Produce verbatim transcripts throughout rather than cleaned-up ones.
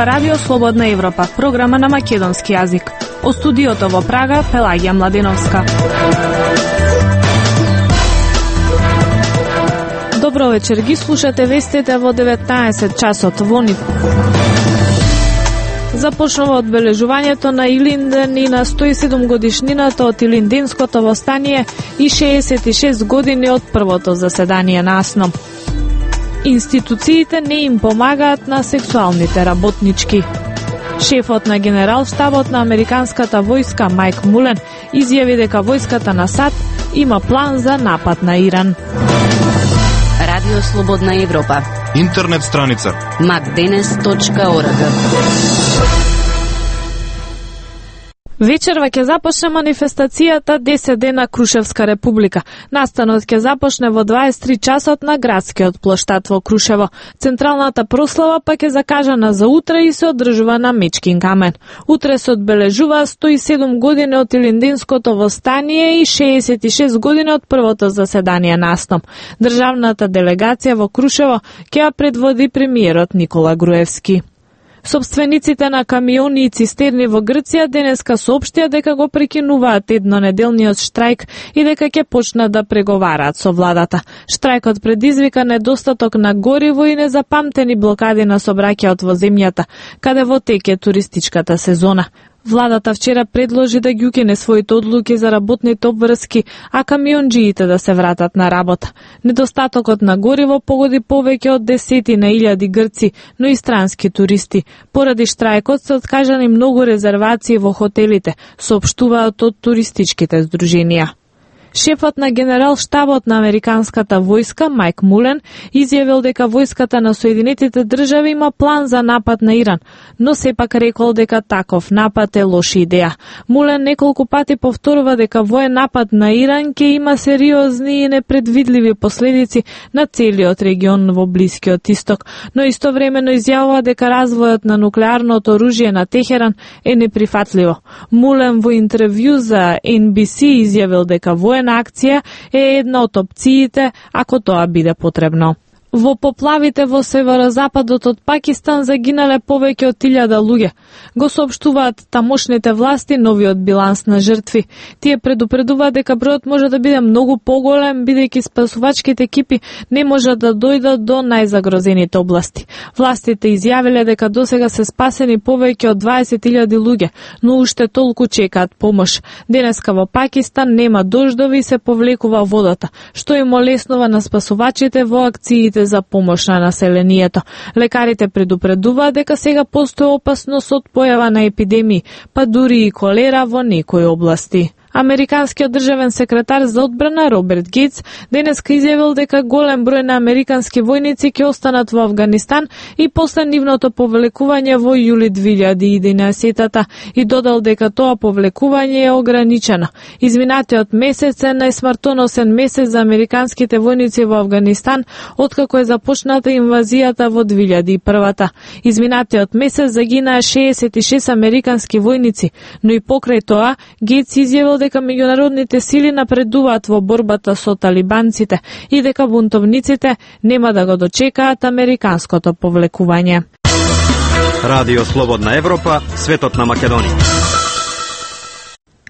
ова Радио Слободна Европа, програма на македонски јазик. О студиото во Прага, Пелагија Младеновска. Добро вечер, ги слушате вестите во деветнаесет часот во Нив. Започнува одбележувањето на Илинден и на сто и седум годишнината од Илинденското востание и шеесет и шест години од првото заседание на АСНО. Институциите не им помагаат на сексуалните работнички. Шефот на генерал-штабот на американската војска Мајк Мулен изјави дека војската на САД има план за напад на Иран. Радио Слободна Европа. Интернет страница макденес точка орг. Вечерва ќе започне манифестацијата десет дена Крушевска република. Настанот ќе започне во дваесет и три часот на градскиот плоштад во Крушево. Централната прослава па ќе закажана за утре и се одржува на Мечкин камен. Утре се одбележува сто и седум години од Илинденското востание и шеесет и шест години од првото заседание на АСНО. Државната делегација во Крушево ќе ја предводи премиерот Никола Груевски. Собствениците на камиони и цистерни во Грција денеска соопштија дека го прекинуваат еднонеделниот штрајк и дека ќе почнат да преговараат со владата. Штрајкот предизвика недостаток на гориво и незапамтени блокади на сообраќајот во земјата, каде во тек е туристичката сезона. Владата вчера предложи да ги укине своите одлуки за работните обврски, а камионџиите да се вратат на работа. Недостатокот на гориво погоди повеќе од десетина илјади грци, но и странски туристи. Поради штрајкот се откажани многу резервации во хотелите, соопштуваат од туристичките здруженија. Шефот на генерал-штабот на американската војска Мајк Мулен изјавил дека војската на Соединетите држави има план за напад на Иран, но сепак рекол дека таков напад е лоша идеја. Мулен неколку пати повторува дека воен напад на Иран ќе има сериозни и непредвидливи последици на целиот регион во Блискиот Исток, но истовремено изјавува дека развојот на нуклеарното оружје на Техеран е неприфатливо. Мулен во интервју за Ен Би Си изјавил дека воен на акција е една од опциите ако тоа биде потребно. Во поплавите во северозападот од Пакистан загинале повеќе од илјада луѓе. Го соопштуваат тамошните власти новиот биланс на жртви. Тие предупредуваат дека бројот може да биде многу поголем, бидејќи спасувачките екипи не можат да дојдат до најзагрозените области. Властите изјавиле дека досега се спасени повеќе од дваесет илјади луѓе, но уште толку чекаат помош. Денеска во Пакистан нема дождови и се повлекува водата, што им олеснува на спасувачите во акциите за помош на населението. Лекарите предупредуваат дека сега постои опасност од појава на епидемии, па дури и колера во некои области. Американскиот државен секретар за одбрана Роберт Гејтс денеска изјавил дека голем број на американски војници ќе останат во Авганистан и после нивното повлекување во јули две илјади и единаесета и додал дека тоа повлекување е ограничено. Изминатиот месец е најсмртоносен месец за американските војници во Авганистан откако е започната инвазијата во две илјади и прва. Изминатиот месец загинаа шеесет и шест американски војници, но и покрај тоа Гејтс изјавил дека меѓународните сили напредуваат во борбата со талибанците и дека бунтовниците нема да го дочекаат американското повлекување. Радио Слободна Европа, светот на Македонија.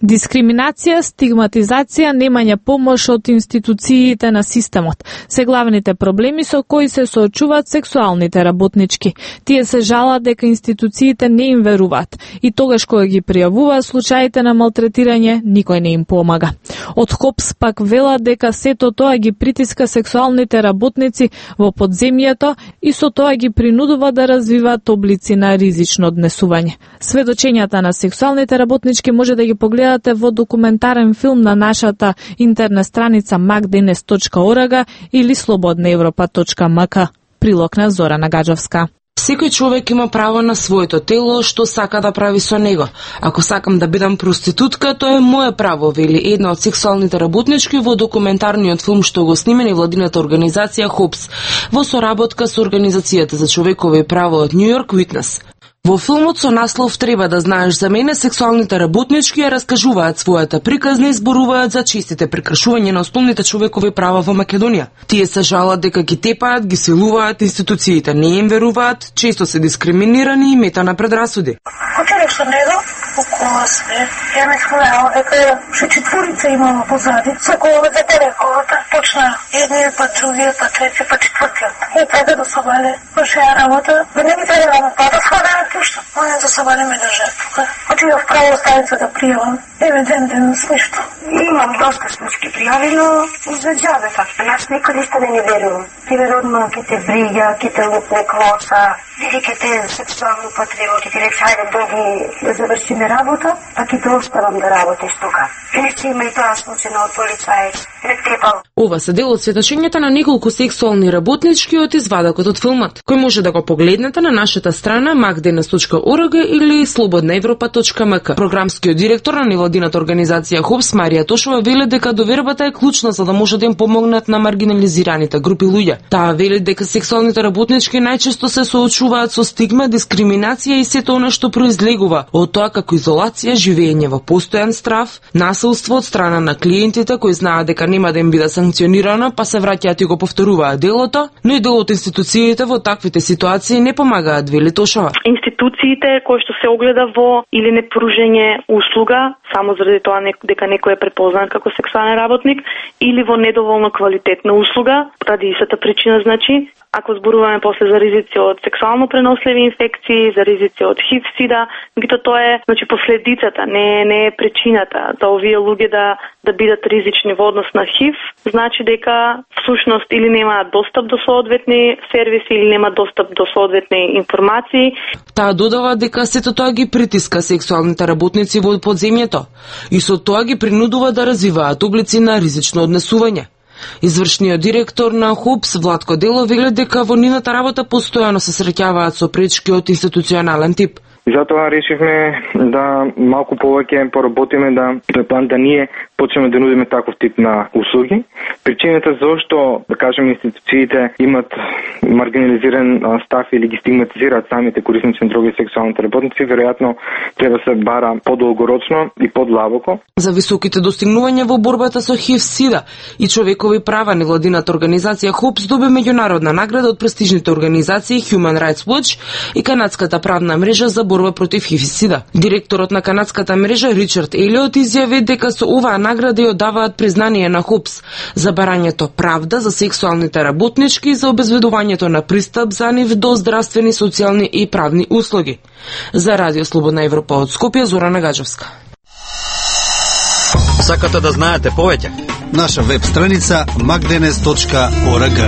Дискриминација, стигматизација, немање помош од институциите на системот се главните проблеми со кои се соочуваат сексуалните работнички. Тие се жалат дека институциите не им веруваат и тогаш кога ги пријавуваат случаите на малтретирање, никој не им помага. Од ХОПС пак велат дека сето тоа ги притиска сексуалните работници во подземјето и со тоа ги принудува да развиваат облици на ризично однесување. Сведочењата на сексуалните работнички може да ги погледате во документарен филм на нашата интернет страница макденес точка орг или слободна европа точка ем ка. Прилог на Зорана Гаджовска. Секој човек има право на своето тело, што сака да прави со него. Ако сакам да бидам проститутка, тоа е мое право, вели една од сексуалните работнички во документарниот филм што го снима невладината организација ХОПС во соработка со Организацијата за човекови права од Њујорк Witness. Во филмот со наслов "Треба да знаеш за мене", сексуалните работнички ја раскажуваат својата приказна и зборуваат за честите прекршувања на основните човекови права во Македонија. Тие се жалат дека ги тепаат, ги силуваат, институциите не им веруваат, често се дискриминирани и мета на предрасуди. Отидеш со него, около све, ја не знаела дека ше четворица имала позади, секој ве запалековата, почна едниот, па другиот, па трети, па четвртиот. И така да се вале, почеја работа, да не ги треба да па да сходаат пушта. Моја да се вале ме држа тука. Отидов право станица да пријавам, еве ден ден ништо. Имам доста случаи пријави, но за џабе така. Јас никој ништо не ни верувам. Ти веродма ке те брига, ке те лупне клоса, или ке те сексуално потребо, ке ти рече ајде доги да завршиме работа, па ке те оставам да работиш тука. Иначе има и тоа случај од полицаец. Ова се дел од сведочењата на неколку сексуални работнички од извадокот од филмот, кој може да го погледнете на нашата страна макденес точка орг или слободна европа точка ем ка. Програмскиот директор на невладината организација ХОПС Марија Тошова вели дека довербата е клучна за да може да им помогнат на маргинализираните групи луѓе. Таа вели дека сексуалните работнички најчесто се соочуваат со стигма, дискриминација и сето она што произлегува од тоа како изолација, живење во постојан страв, насилство од страна на клиентите кои знаат дека нема да им биде санкционирано, па се враќаат и го повторуваат делото, но и дел од институциите во таквите ситуации не помагаат, вели Тошова. Институциите кои што се огледа во или непружење услуга, само заради тоа дека некој е препознат како сексуален работник, или во недоволно квалитетна услуга, ради истата причина, значи, ако зборуваме после за ризици од сексуално преносливи инфекции, за ризици од ХИВ, СИДА, меѓутоа тоа е, значи, последицата, не, не е причината за овие луѓе да да бидат ризични во однос на ХИВ, значи дека всушност или немаат достап до соодветни сервиси или немаат достап до соодветни информации. Таа додава дека сето тоа ги притиска сексуалните работници во подземјето и со тоа ги принудува да развиваат облици на ризично однесување. Извршниот директор на ХОПС Владко Дело вели дека во нивната работа постојано се среќаваат со пречки од институционален тип. И затоа решивме да малку повеќе поработиме да план да ние почнеме да нудиме таков тип на услуги. Причината зошто, да кажем, институциите имат маргинализиран став или ги стигматизираат самите корисници на дроги и сексуалните работници, веројатно треба да се бара подолгорочно и подлабоко. За високите достигнувања во борбата со ХИВ, СИДА и човекови права, невладината организација ХОПС доби меѓународна награда од престижните организации Human Rights Watch и канадската правна мрежа за борба против ХИВ и СИДА. Директорот на канадската мрежа Ричард Елиот изјави дека со оваа награда ја одаваат признание на ХОПС за барањето правда за сексуалните работнички и за обезбедувањето на пристап за нив до здравствени, социјални и правни услуги. За Радио Слободна Европа од Скопје, Зорана Гаджевска. Сакате да знаете повеќе? Наша веб страница макденес точка орг.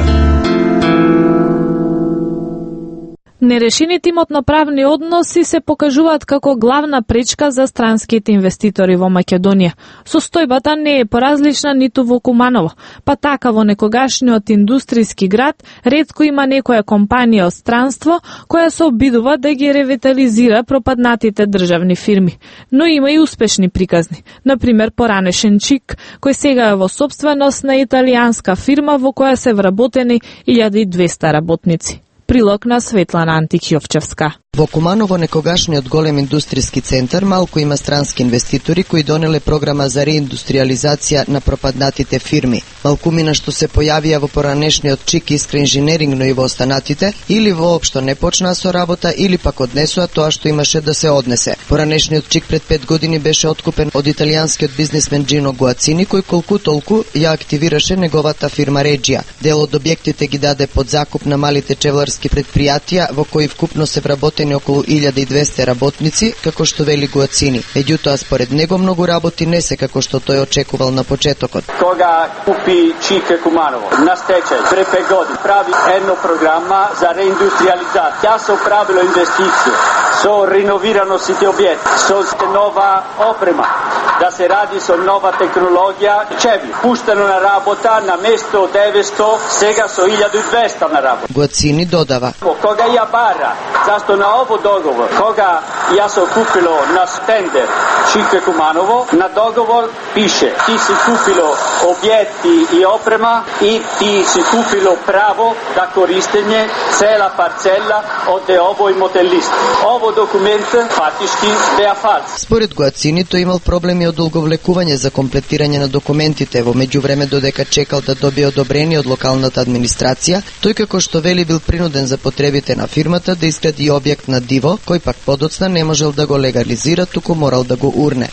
Нерешените имотно-правни односи се покажуваат како главна пречка за странските инвеститори во Македонија. Состојбата не е поразлична ниту во Куманово, па така во некогашниот индустријски град ретко има некоја компанија од странство која се обидува да ги ревитализира пропаднатите државни фирми. Но има и успешни приказни. Например, поранешен Чик, кој сега е во собственост на италијанска фирма во која се вработени илјада и двесте работници. Прилог на Светлана Антик-Јовчевска. Во Куманово, некогашниот голем индустријски центар, малку има странски инвеститори кои донеле програма за реиндустриализација на пропаднатите фирми. Малкумина што се појавија во поранешниот Чик Искра инженеринг, но и во останатите, или воопшто не почнаа со работа, или пак однесоа тоа што имаше да се однесе. Поранешниот Чик пред пет години беше откупен од италијанскиот бизнисмен Джино Гуацини, кој колку толку ја активираше неговата фирма Реджија. Дел од објектите ги даде под закуп на малите чевларски предпријатија, во кои вкупно се вработени околу илјада и двесте работници, како што вели Гуацини. Меѓутоа, според него, многу работи не се како што тој очекувал на почетокот. Кога купи Чик Куманово на стечај пред пет години, прави една програма за реиндустриализација. Тя се правило инвестиција со реновирано сите објекти, со нова опрема, da se radi со нова технологија, чеви, пуштено на работа на место деветсто, сега со илјаду и двесте на работа. Гоцини додава. Кога ја бара, зашто на ово договор, кога ја се купило на стендер Чике Куманово, на договор пише, ти си купило објекти и опрема и ти си купило право да користење цела парцела од овој мотелист. Ово документ фактички беа фалс. Според Гоацини, тој имал проблеми од долговлекување за комплетирање на документите, во меѓувреме додека чекал да добие одобрение од локалната администрација, тој како што вели бил принуден за потребите на фирмата да изгради објект на диво, кој пак подоцна не можел да го легализира, туку морал да го урне.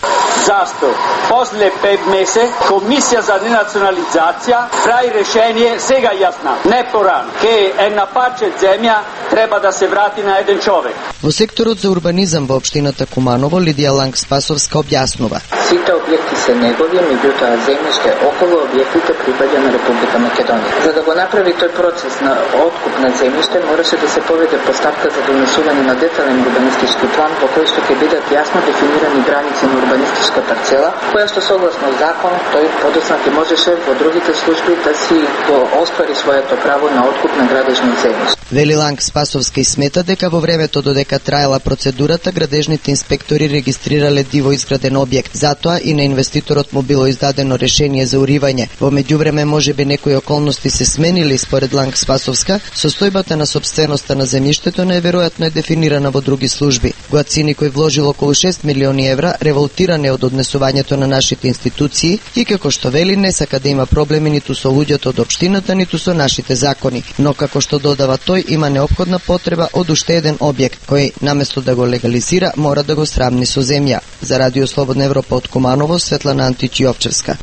Зашто? После пет месеци Комисија за денационализација прави решение сега јасна, не порано, ке една парче земја треба да се врати на еден човек. Во секторот за урбанизам во општината Куманово, Лидија Ланг Спасовска објаснува. Сите објекти се негови, меѓутоа земјиште околу објектите припаѓа на Република Македонија. За да го направи тој процес на откуп на земјиште, мораше да се поведе постапка за донесување на детален урбанистички план во кој што ќе бидат јасно дефинирани граници на урбанистичка парцела, која што согласно закон тој подоцна ќе можеше во другите служби да си го оствари своето право на откуп на градежни земјишта. Вели Ланг Спасовска и смета дека во времето додека траела процедурата, градежните инспектори регистрирале диво изграден објект. Затоа и на инвеститорот му било издадено решение за уривање. Во меѓувреме можеби некои околности се сменили. Според Ланг Спасовска, состојбата на сопственоста на земјиштето најверојатно е дефинирана во други служби. Гоацини, кој вложил околу шест милиони евра, револтиран е од однесувањето на нашите институции и како што вели не сака да има проблеми ниту со луѓето од општината, ниту со нашите закони. Но како што додава тој, има неопходна потреба од уште еден објект, кој наместо да го легализира, мора да го срамни со земја. За Радио Слободна Европа од Куманово, Светлана Антич Јовчевска.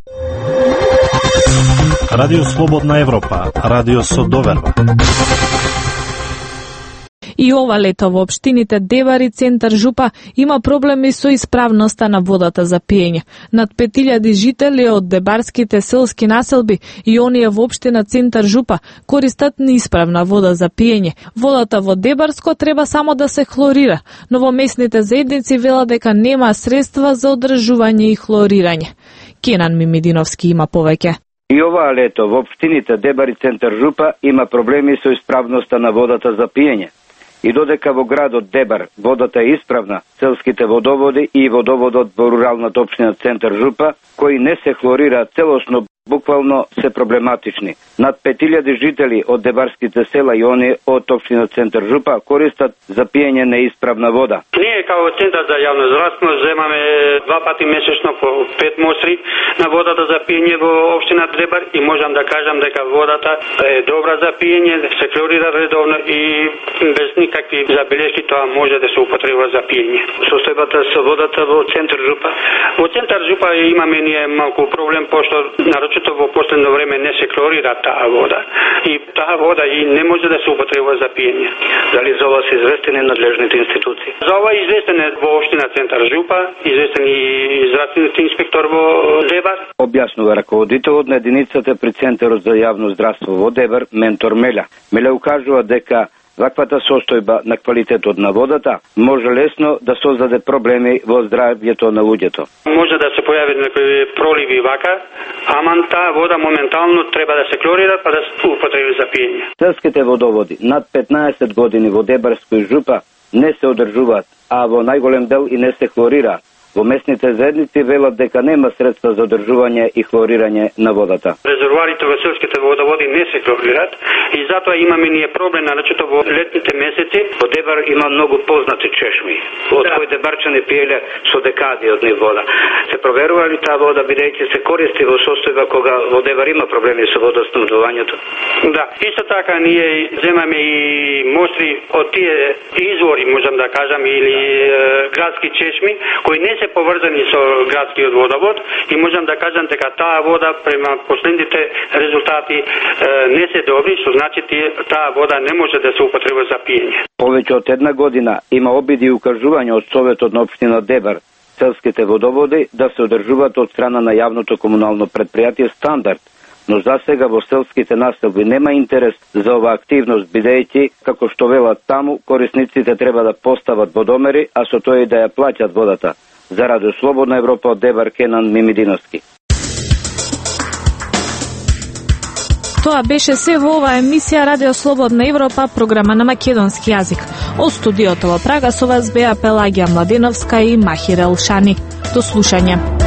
Радио Слободна Европа, радио со доверба. И ова лето во општините Дебар и Центар Жупа има проблеми со исправноста на водата за пиење. Над пет илјади жители од дебарските селски населби и оние во општина Центар Жупа користат неисправна вода за пиење. Водата во Дебарско треба само да се хлорира, но во местните заедници велат дека нема средства за одржување и хлорирање. Кенан Мимидиновски има повеќе. И оваа лето во општините Дебар и Центар Жупа има проблеми со исправноста на водата за пиење. И додека во градот Дебар водата е исправна, селските водоводи и водоводот во руралната општина Центар Жупа, кои не се хлорираат целосно, буквално се проблематични. Над пет илјади жители од дебарските села и оние од општина Центар Жупа користат за пиење неисправна вода. Ние како Центар за јавно здравство земаме два пати месечно по пет мостри на водата за пиење во општина Дебар и можам да кажам дека водата е добра за пиење, се хлорира редовно и без никакви забелешки тоа може да се употреба за пиење. Состојбата со водата во Центар Жупа. Во Центар Жупа имаме ние малку проблем пошто нарочито во последно време не се хлорира таа вода и таа вода и не може да се употреба за пиење. Дали за ова се известени надлежните институции? За ова известен е во општина Центар Жупа, известен и здравствениот инспектор во Дебар. Објаснува раководителот на единицата при Центарот за јавно здравство во Дебар, ментор Меля. Меля укажува дека ваквата состојба на квалитетот на водата може лесно да создаде проблеми во здравјето на луѓето. Може да се појави некои проливи вака, ама таа вода моментално треба да се хлорира па да се употреби за пиење. Селските водоводи над петнаесет години во Дебарско и Жупа не се одржуваат, а во најголем дел и не се хлорираат. Во местните заедници велат дека нема средства за одржување и хлорирање на водата. Резервоарите во селските водоводи не се хлорираат и затоа имаме ние проблем нарочито во летните месеци. Во Дебар има многу познати чешми, од да. кои дебарчани пиеле со декади од нив вода. Се проверува ли таа вода бидејќи се користи во состојба кога во Дебар има проблеми со водоснабдувањето? Да, исто така ние земаме и мостри од тие извори, можам да кажам, или е, градски чешми кои не се поврзани со градскиот водовод и можам да кажам дека таа вода према последните резултати е, не се добри, што значи таа вода не може да се употреба за пиење. Повеќе од една година има обиди и укажувања од Советот на општина Дебар селските водоводи да се одржуваат од страна на јавното комунално предпријатие Стандард, но за сега во селските населби нема интерес за оваа активност, бидејќи, како што велат таму, корисниците треба да постават водомери, а со тоа и да ја плаќат водата. За Радио Слободна Европа од Дебар, Кенан Мимидиновски. Тоа беше се во оваа емисија Радио Слободна Европа, програма на македонски јазик. Од студиото во Прага со вас беа Пелагија Младеновска и Махир Елшани. До слушање.